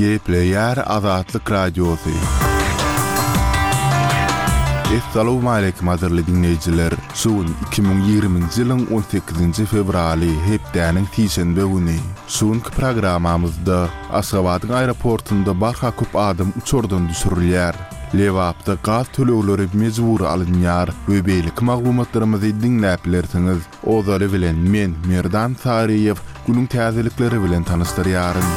Gepleýär Azatlyk Radiosy. Essalawmaleýkim gadyrly diňleýjiler! Şu gün 2020-nji ýylyň on sekizinji fewraly, hepdäniň sişenbe güni. Şu günki programmamyzda Aşgabadyň aeroportunda barha köp adam uçardan düşürilýär. Lebapda gaz tölegleri mejbury alynýar we beýleki maglumatlarymyzy diňläp bilersiňiz. Ozaly bilen men, Merdan Saryýew, günüň täzelikleri bilen tanyşdyrýaryn.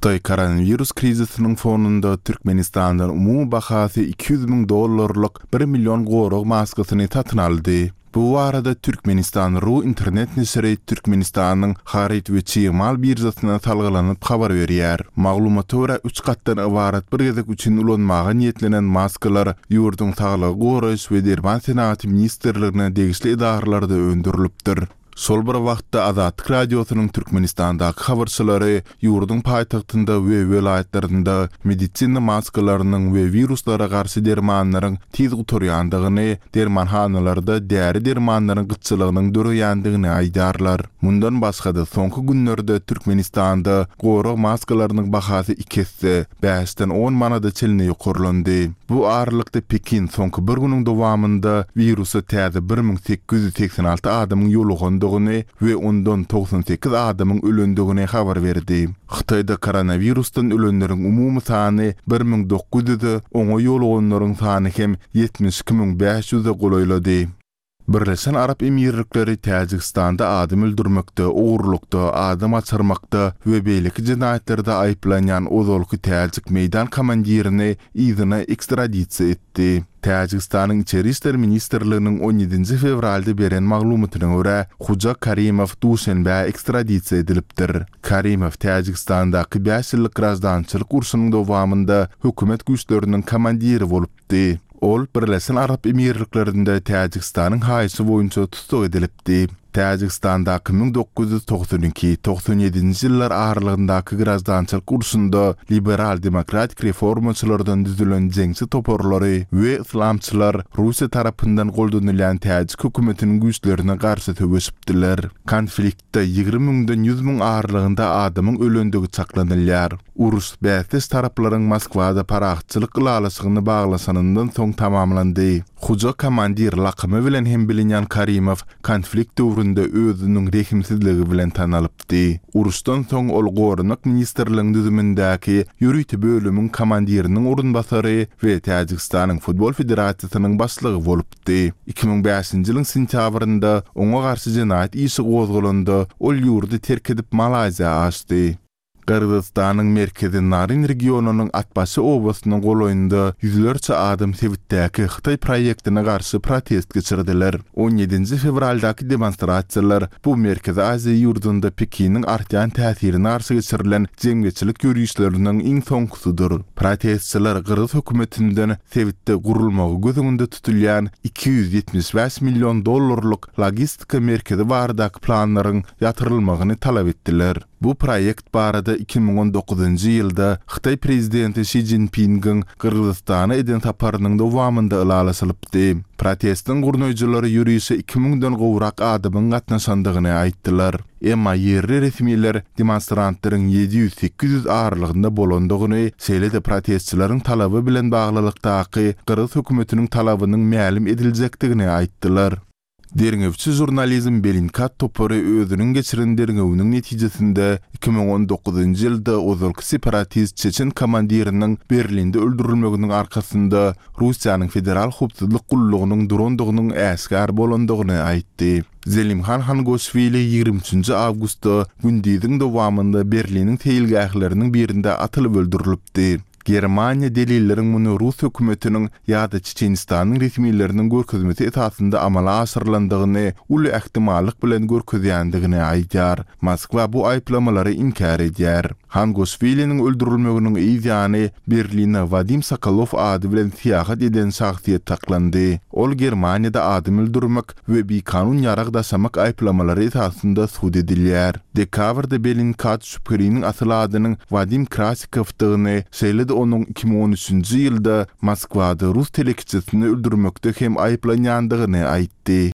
Hytaý koronawirus krizisiniň fonunda Türkmenistandan umumy bahasy 200 müň dollarlyk bir million gorag maskasyny satyn aldy. Bu barada Türkmenistan. Ru internet neşiri Türkmenistanyň Haryt we çig mal biržasyna salgylanyp habar berýär. Maglumata görä, üç gatdan ybarat bir gezek üçin ulanmaga niýetlenen maskalar ýurduň Saglygy goraýyş we derman senagaty ministrligine degişli edaralarda öndürilipdir. Şol bir wagtda, Azatlyk Radiosynyň Türkmenistandaky habarçylary ýurduň paýtagtynda we welaýatlarynda medisina maskalarynyň we wiruslara garşy dermanlaryň tiz gutarýandygyny, dermanhanalarda däri-dermanlaryň gytçylygynyň döreýändigini aýdýarlar. Mundan başga-da, soňky günlerde Türkmenistanda gorag maskalarynyň bahasy iki esse, bäşden on manada çenli ýokarlandy. Bu aralykda Pekin soňky bir günüň dowamynda wirusa täze 1886 adamyň ýolugandygyny we ondan 98 adamyň ölendigini habar berdi. Hytaýda koronawirusdan ölenleriň umumy sany 1900-e, oňa ýoluganlaryň sany hem 72 500-e golaýlady. Birleşen Arap Emirlikleri Täjigistanda adam öldürmekde, ogurlykda, adam gaçyrmakda we beýleki jenaýatlarda aýyplanýan ozalky täjik meýdan komandirini yzyna ekstradisiýa etdi. Täjigistanyň Içeri işler ministrliginiň on ýedinji fewralda beren maglumatyna görä, Huja Karimow Duşenbä ekstradisiýa edilipdir. Karimow Täjigistandaky bäş ýyllyk graždançylyk urşunyň dowamynda hökümet güýçleriniň komandiri bolupdy. Ol Birleşen Arap Emirliklerinde Täjigistanyň haýyşy boýunça tussag edilipdi. Täjigistandaky 1992, 97-nji ýyllar aralygyndaky graždançylyk urşunda liberal-demokratik reformaçylardan düzülen jeňçi toparlary we yslamçylar Russiýa tarapyndan goldanylýan täjik hökümetiniň güýçlerine garşy söweşipdiler. Konfliktde 20 müňden 100 müň aralygynda adamyň ölendigi çaklanylýar. Uruş bäsdeş taraplaryň Moskwada parahatçylyk ylalaşygyny baglaşanyndan soň tamamlandy. Huja komandir lakamy bilen hem bilinýän Karimow konflikt döwründe özüniň rehimsizligi bilen tanalypdy. Uruşdan soň ol Goranmak ministrligiň düzümindäki ýörite bölümiň komandiriniň orunbasary we Täjigistanyň Futbol federasiýasynyň başlygy bolupdy. 2005-nji ýylyň sentýabrynda oňa garşy jenaýat işi gozgalanda, ol ýurdy terk edip Malaýziýa aşdy. Gyrgyzystanyň merkezi Naryn regionynyň Atbaşy obasynyň golaýynda ýüzlerçe adam sebitdäki hytaý proýektine garşy protest geçirdiler. On ýedinji fewraldaky demonstrasiýalar bu Merkezi Aziýa ýurdunda Pekiniň artýan täsirine garşy geçirilen jemgyýetçilik ýörişleriniň iň soňkusydyr. Protestçiler gyrgyz hökümetinden sebitde gurulmagy göz öňünde tutulýan 275 million dollarlyk logistika merkezi baradaky planlaryň ýatyrylmagyny talap etdiler. Bu proýekt barada 2019-njy ýylda Hytaý prezidenti Şi Szinpingiň Gyrgyzystana eden saparynyň dowamynda ylalaşylypdy. Protestiň gurnaýjylary ýörişe iki müňden gowrak adamyň gatnaşandygyny aýtdylar. Emma ýerli resmiler demonstrantlaryň 700-800 aralygynda bolandygyny, şeýle-de protestçileriň talaby bilen baglylykdaky gyrgyz hökümetiniň talabynyň mälim ediljekdigini aýtdylar. Derňewçi žurnalizm Bellingcat topary özüniň geçiren derňewiniň netijesinde 2019-njy ýylda ozalky separatist çeçen komandiriniň Berlinde öldürilmeginiň arkasynda Russiýanyň Federal howpsuzlyk gullugynyň durandygynyň äşgär bolandygyny aýtdy. Zelimhan Hangoşwili ýigrimi üçünji awgustda gündiziň dowamynda Berliniň seýilgähleriniň birinde atylyp öldürilipdi. Germaniýa delilleriň muny rus hökümetiniň ýa-da Çeçenistanyň resmileriniň görkezmesi esasynda amala aşyrylandygyny uly ähtimallyk bilen görkezýändigini aýdýar. Moskwa bu aýyplamalary inkär edýär. Hangoşwiliniň öldürilmeginiň yz ýany Berline Wadim Sokolow ady bilen syýahat eden şahsyýet saklandy. Ol Germaniýada adam öldürmek we bikanun ýarag daşamak aýyplamalary esasynda sud edilýär. Dekabrda Bellingcat şübheliniň asyl adynyň Wadim Krasikowdygyny, şeýle-de onuň 2013-nji ýylda Moskwada rus telekeçisini öldürmekde hem aýyplanýandygyny aýtdy.